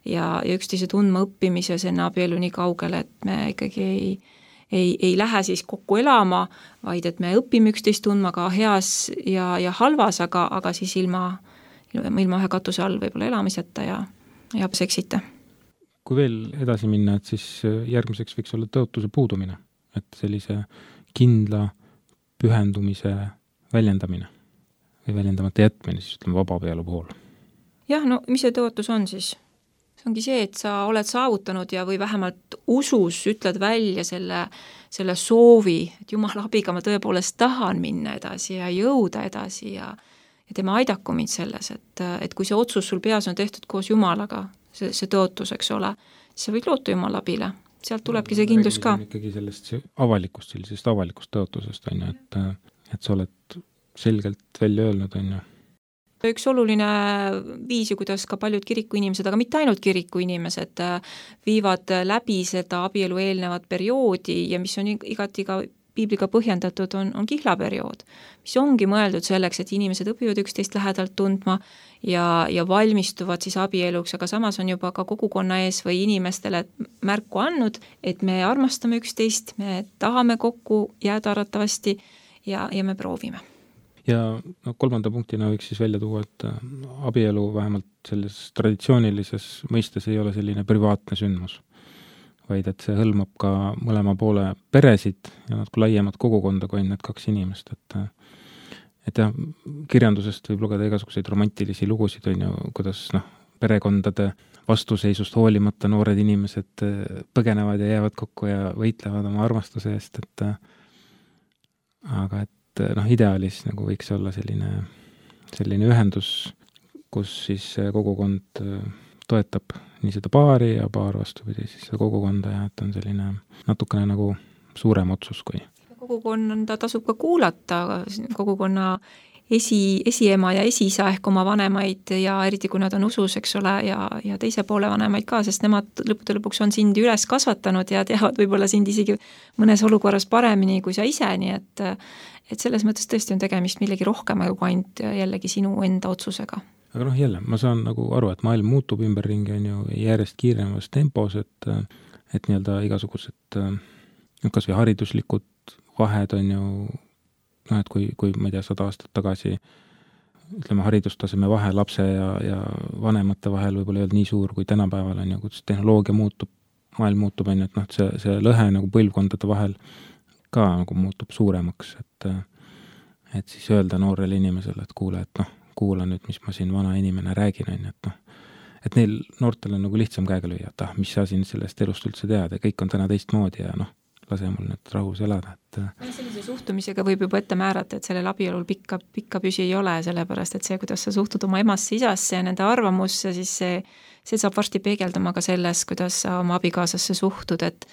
ja üksteise tundma õppimises enne abielu nii kaugele, et me ikkagi ei lähe siis kokku elama, vaid et me õpime üksteist tundma ka heas ja halvas, aga siis ilma ühe katuse all võib-olla elamiseta ja seksita. Kui veel edasi minna, et siis järgmiseks võiks olla tõotuse puudumine, et sellise kindla pühendumise väljendamine või väljendamata jätmine, siis ütleme vabapealu puhul. Jah, no mis see tõotus on siis? See ongi see, et sa oled saavutanud ja või vähemalt usus ütled välja selle soovi, et Jumala abiga ma tõepoolest tahan minna edasi ja jõuda edasi ja tema aidaku mind selles, et kui see otsus sul peas on tehtud koos Jumalaga, see tõotus, eks ole, siis sa võid loota Jumala abile. Sealt tulebki see kindlus ka. Ikkagi sellisest avalikust tõotusest, on ju, et sa oled selgelt välja öelnud, on ju. Üks oluline viis, kuidas ka paljud kirikuinimesed, aga mitte ainult kirikuinimesed, viivad läbi seda abielu eelnevat perioodi ja mis on igati ka piibliga põhjendatud, on kihlaperiood, mis ongi mõeldud selleks, et inimesed õpivad üksteist lähedalt tundma ja valmistuvad siis abieluks, aga samas on juba ka kogukonna ees või inimestele märku andnud, et me armastame üksteist, me tahame kokku jääda arvatavasti ja me proovime. Ja kolmanda punktina võiks siis välja tuua, et abielu vähemalt selles traditsioonilises mõistes ei ole selline privaatne sündmus, vaid et see hõlmab ka mõlema poole peresid ja natuke laiemat kogukonda kui need kaks inimest. Et jah, kirjandusest võib lugeda igasuguseid romantilisi lugusid, on ju, kuidas perekondade vastuseisust hoolimata noored inimesed põgenevad ja jäävad kokku ja võitlevad oma armastuse eest, aga et ideaalis nagu võiks olla selline ühendus, kus siis kogukond toetab nii seda paari ja paar vastupidi siis seda kogukonda ja et on selline natukene nagu suurem otsus kui. Kogukonda tasub ka kuulata, kogukonna esiema ja esiisa ehk oma vanemaid ja eriti kui nad on usus, eks ole, ja teise poole vanemaid ka, sest nemad lõppude lõpuks on sind üles kasvatanud ja teavad võib-olla sind isegi mõnes olukorras paremini kui sa ise, nii et selles mõttes tõesti on tegemist millegi rohkema kui ainult jällegi sinu enda otsusega. Aga jälle, ma saan nagu aru, et maailm muutub ümberringi, on ju järjest kiiremast tempos, et nii-öelda igasugused kas või hariduslikud vahed on ju et kui ma ei tea, 100 aastat tagasi ütleme, haridustaseme vahe lapse ja vanemate vahel võib-olla ei olnud nii suur kui tänapäeval on ju, kuidas tehnoloogia muutub, maailm muutub, on ju, et see lõhe nagu põlvkondade vahel ka nagu muutub suuremaks, et siis öelda noorele inimesele, et kuule, et kuula nüüd, mis ma siin vana inimene räägin, on ju, et neil noortel on nagu lihtsam käega lüüa, et mis sa siin sellest elust üldse tead ja kõik on täna teistmoodi ja lase mul nüüd rahus elada. Sellise suhtumisega võib juba ette määrata, et sellel abielul pikka püsi ei ole, sellepärast et see, kuidas sa suhtud oma emasse, isasse ja nende arvamusse, siis see saab varsti peegeldama ka selles, kuidas sa oma abikaasasse suhtud, et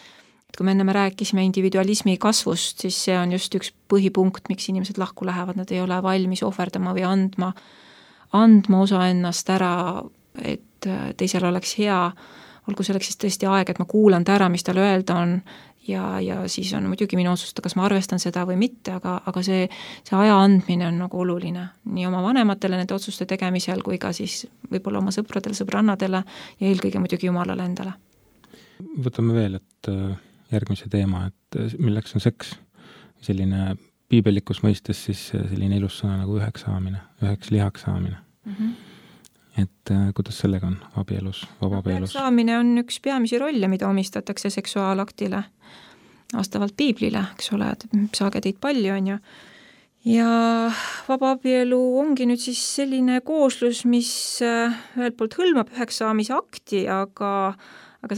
kui me enne rääkisime individualismi kasvust, siis see on just üks põhipunkt, miks inimesed lahku lähevad, nad ei ole valmis ohverdama või andma osa ennast ära, et teisel oleks hea, olgu selleks siis tõesti aeg, et ma kuulan ta ära, mis tal öelda on, ja siis on muidugi minu otsusta, kas ma arvestan seda või mitte, aga see aja andmine on nagu oluline nii oma vanematele nende otsuste tegemisel kui ka siis võib-olla oma sõpradele, sõbrannadele ja eelkõige muidugi Jumalale endale. Võtame veel, et järgmise teema, et milleks on seks, selline piibelikus mõistes siis selline ilus sõna nagu üheks lihaks saamine. Et kuidas sellega on abielus, vabapeelus? Saamine on üks peamisi rolle, mida omistatakse seksuaalaktile vastavalt piiblile, eks ole, et saagedeid palju on ju. Ja vabaabielu ongi nüüd siis selline kooslus, mis ühelt poolt hõlmab üheks saamise akti, aga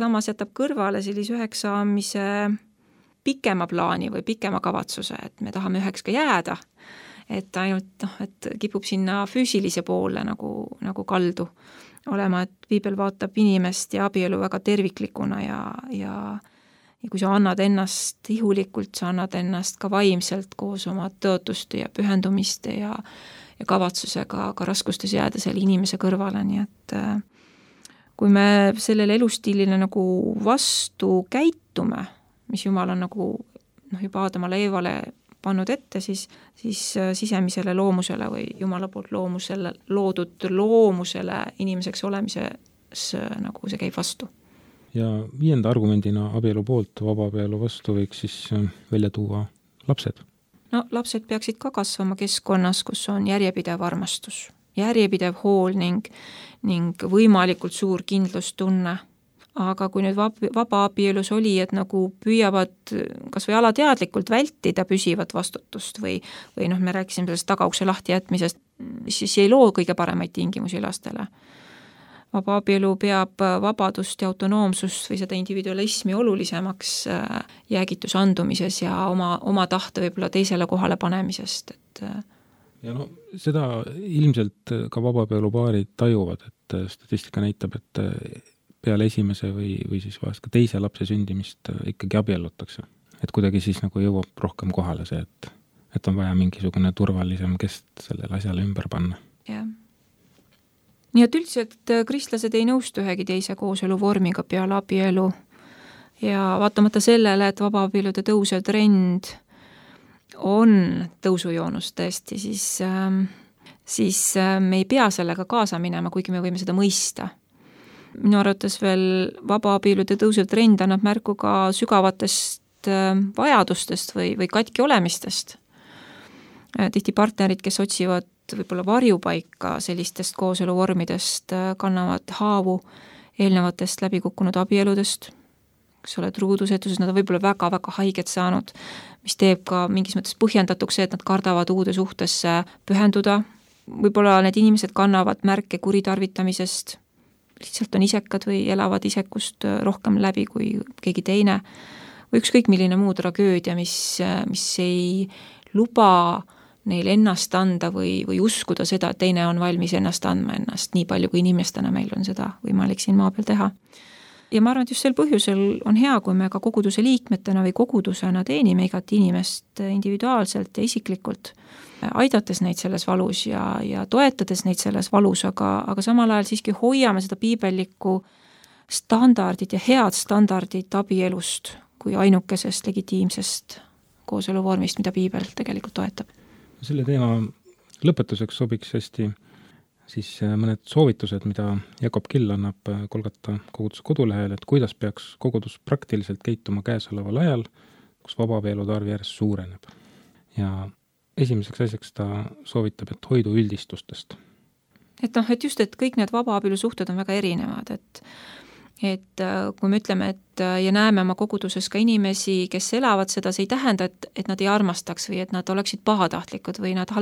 samas jätab kõrvale sellise üheks saamise pikema plaani või pikema kavatsuse, et me tahame üheks ka jääda, et ainult et kipub sinna füüsilise poole nagu kaldu olema, et piibel vaatab inimest ja abielu väga terviklikuna ja kui sa annad ennast ihulikult, sa annad ennast ka vaimselt koos oma tõotuste ja pühendumiste ja kavatsusega ka raskustes jääda selle inimese kõrvale, nii et kui me sellele elustiilile nagu vastu käitume, mis Jumal on nagu juba Aadamale Eevale pannud ette, siis sisemisele loomusele või Jumala poolt loodud loomusele inimeseks olemises nagu see käib vastu. Ja 5. argumendina abielu poolt vabaabielu vastu võiks siis välja tuua lapsed. No lapsed peaksid ka kasvama keskkonnas, kus on järjepidev armastus, järjepidev hool ning võimalikult suur kindlustunne. Aga kui nüüd vaba abielus oli, et nagu püüavad kas või alateadlikult vältida püsivat vastutust või me rääkisime sellest tagaukse lahti jätmisest, siis ei loo kõige paremaid tingimusi lastele. Vaba abielu peab vabadust ja autonoomsust või seda individualismi olulisemaks jäägituse andumises ja oma tahte võib-olla teisele kohale panemisest. Ja no seda ilmselt ka vabaabielupaarid tajuvad, et statistika näitab, et peale esimese või siis vahest ka teise lapse sündimist ikkagi abiellutakse. Et kuidagi siis nagu jõuab rohkem kohale see, et on vaja mingisugune turvalisem kest sellele asjale ümber panna. Jah. Nii et üldiselt kristlased ei nõustu ühegi teise kooseluvormiga peale abielu ja vaatamata sellele, et vabaabielude tõusev trend on tõusujoonus tõesti, siis me ei pea sellega kaasa minema, kuigi me võime seda mõista. Minu arvates veel vabaabielude tõusev trend annab märku ka sügavatest vajadustest või katki olemistest. Tihti partnerid, kes otsivad võib-olla varjupaika sellistest kooseluvormidest, kannavad haavu eelnevatest läbikukkunud abieludest, eks ole, truudusetuses, nad on võib-olla väga-väga haiget saanud, mis teeb ka mingis mõttes põhjendatuks see, et nad kardavad uude suhtesse pühenduda. Võib-olla need inimesed kannavad märke kuritarvitamisest, lihtsalt on isekad või elavad isekust rohkem läbi kui keegi teine või ükskõik milline muu tragöödia, mis ei luba neil ennast anda või uskuda seda, et teine on valmis ennast andma ennast nii palju, kui inimestena meil on seda võimalik siin maa peal teha. Ja ma arvan, et just sel põhjusel on hea, kui me ka koguduse liikmetena või kogudusena teenime igat inimest individuaalselt ja isiklikult, aidates neid selles valus ja toetades neid selles valus, aga samal ajal siiski hoiame seda piibellikku standardit ja head standardit abielust kui ainukesest legitiimsest kooseluvormist, mida piibel tegelikult toetab. Selle teema lõpetuseks sobiks hästi siis mõned soovitused, mida Jakob Kill annab Kolgata koguduse kodulehel, et kuidas peaks kogudus praktiliselt käituma käesoleval ajal, kus vabaabielud arv järjest suureneb. Ja esimeseks asjaks ta soovitab, et hoidu üldistustest. Et just, et kõik need vabaabielu suhted on väga erinevad, et kui me ütleme, et ja näeme oma koguduses ka inimesi, kes elavad seda, see ei tähenda, et nad ei armastaks või et nad oleksid pahatahtlikud või nad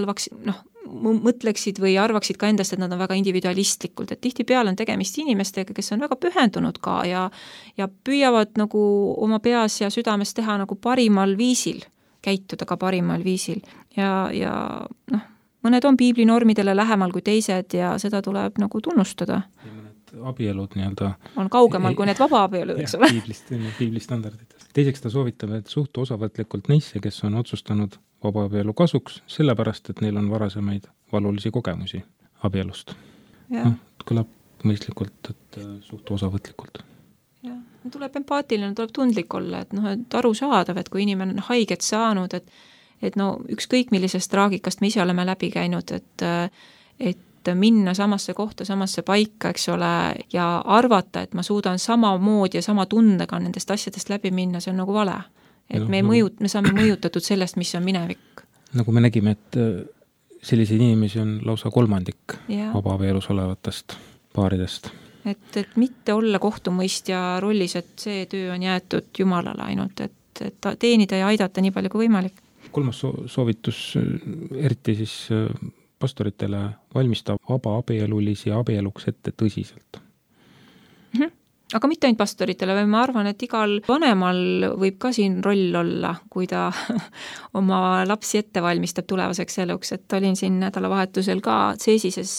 mõtleksid või arvaksid ka endast, et nad on väga individualistlikult, et tihtipeale on tegemist inimestega, kes on väga pühendunud ka ja püüavad nagu oma peas ja südames teha nagu parimal viisil, käituda ka parimal viisil ja mõned on piiblinormidele lähemal kui teised ja seda tuleb nagu tunnustada. Abielud nii-öelda on kaugemal kui need vabaabielud, eks ole. Piibli standarditest. Teiseks ta soovitab, et suhtu osavõtlikult neisse, kes on otsustanud vabaabielu kasuks, sellepärast, et neil on varasemaid valulisi kogemusi abielust. Kõlab mõistlikult, et suhtu osavõtlikult. Tuleb empaatiline, tuleb tundlik olla, et aru saadav, et kui inimene on haiget saanud, et ükskõik millisest traagikast me ise oleme läbi käinud, et minna samasse kohta, samasse paika, eks ole, ja arvata, et ma suudan samamoodi ja sama tundega nendest asjadest läbi minna, see on nagu vale. Et me saame mõjutatud sellest, mis on minevik. Nagu me nägime, et selliseid inimesi on lausa kolmandik vabaabielus olevatest paaridest. Et mitte olla kohtumõistja rollis, et see töö on jäetud Jumalale ainult, et teenida ja aidata nii palju kui võimalik. Kolmas soovitus, eriti siis pastoritele valmistab vabaabielulisi abieluks ette tõsiselt. Aga mitte ainult pastoritele, või ma arvan, et igal vanemal võib ka siin roll olla, kui ta oma lapsi ette valmistab tulevaseks eluks, et olin siin nädalavahetusel ka CESISes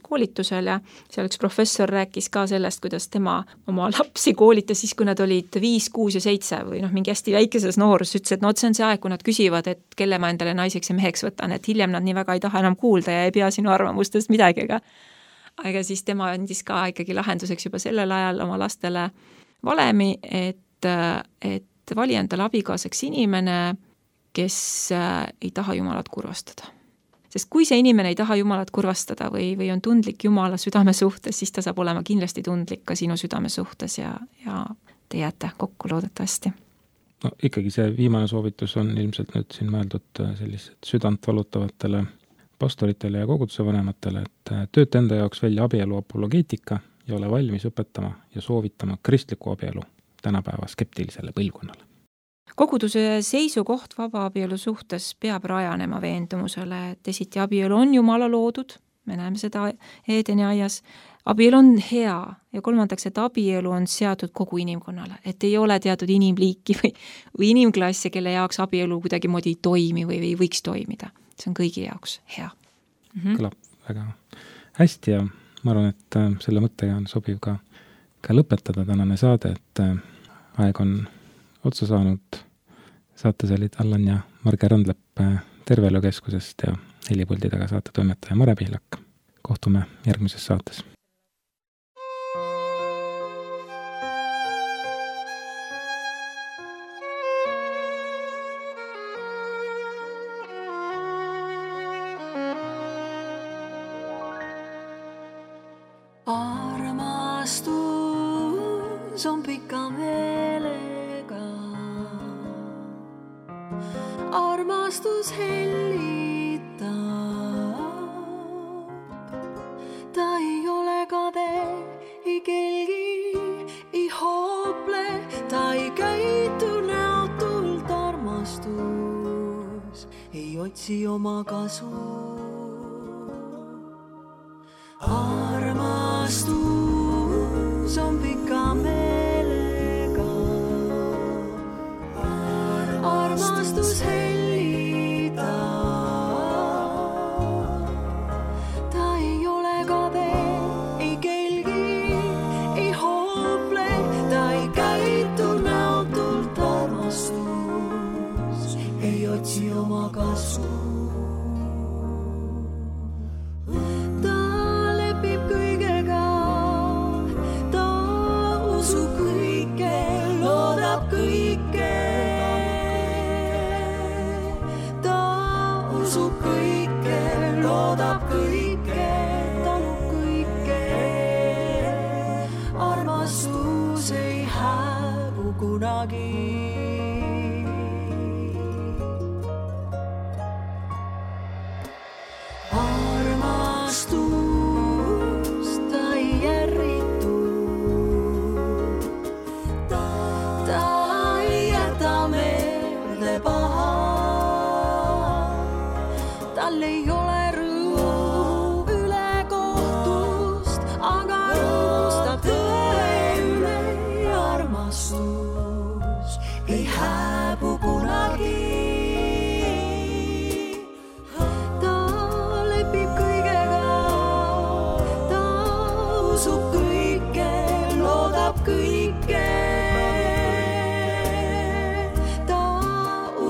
koolitusel ja seal üks professor rääkis ka sellest, kuidas tema oma lapsi koolitas siis, kui nad olid 5, 6 ja 7 või mingi hästi väikeses noorus, ütles, et see on see aeg, kui nad küsivad, et kelle ma endale naiseks ja meheks võtan, et hiljem nad nii väga ei taha enam kuulda ja ei pea sinu arvamustest midagi, aga siis tema andis ka ikkagi lahenduseks juba sellel ajal oma lastele valemi, et vali endale abikaasaks inimene, kes ei taha Jumalat kurvastada. Sest kui see inimene ei taha Jumalat kurvastada või on tundlik Jumala südame suhtes, siis ta saab olema kindlasti tundlik ka sinu südame suhtes ja te jääte kokku loodetavasti. No ikkagi see viimane soovitus on ilmselt nüüd siin mõeldud sellised südant valutavatele pastoritele ja koguduse vanematele, et tööta enda jaoks välja abielu apologeetika ja ole valmis õpetama ja soovitama kristliku abielu tänapäeva skeptilisele põlvkonnale. Koguduse seisukoht vabaabielu suhtes peab rajanema veendumusele, et esiti abielu on Jumala loodud, me näeme seda Eedeni aias, abielu on hea ja kolmandaks, et abielu on seatud kogu inimkonnale, et ei ole teatud inimliiki või inimklasse, kelle jaoks abielu kuidagi moodi ei toimi või võiks toimida. See on kõigi jaoks hea. Kõlab väga hästi ja ma arvan, et selle mõttega on sobiv ka lõpetada tänane saade, et aeg on otsa saanud. Saates olid Allan ja Marge Randlepp Terveelukeskusest ja helipuldi taga saate toimetaja Mare Pihlak. Kohtume järgmises saates. Armastus on pika meelega, armastus hellitab, ta ei ole kade, ei kelgi, ei hoople, ta ei käitu näotult, armastus ei otsi oma kasu. Armastus on pika meelega, armastus hellitab, ta ei ole kade, ei kelgi, ei hoople, ta ei käitu näotult, armastus ei otsi oma kasu.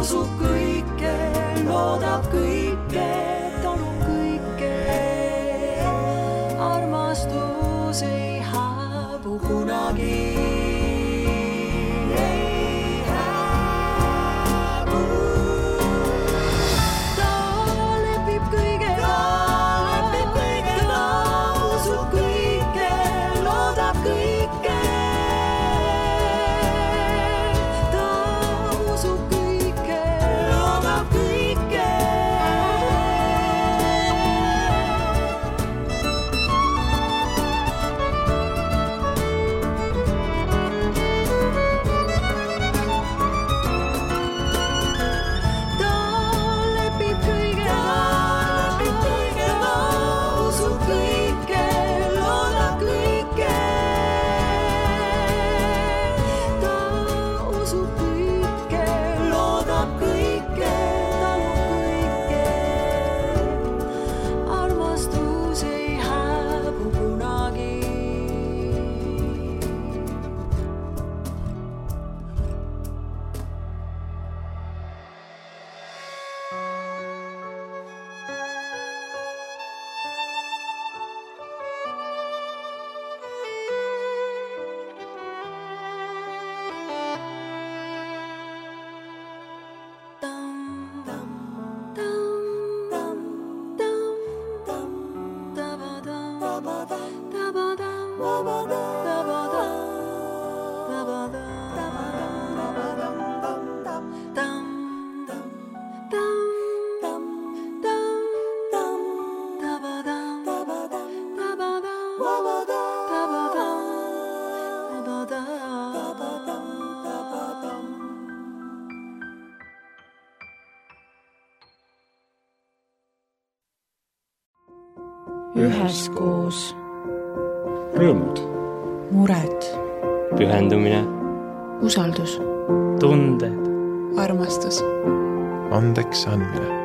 Usub kõike, loodab kõike, üheskoos, rõõmud, mured, pühendumine, usaldus, tunded, armastus, andeks andmine.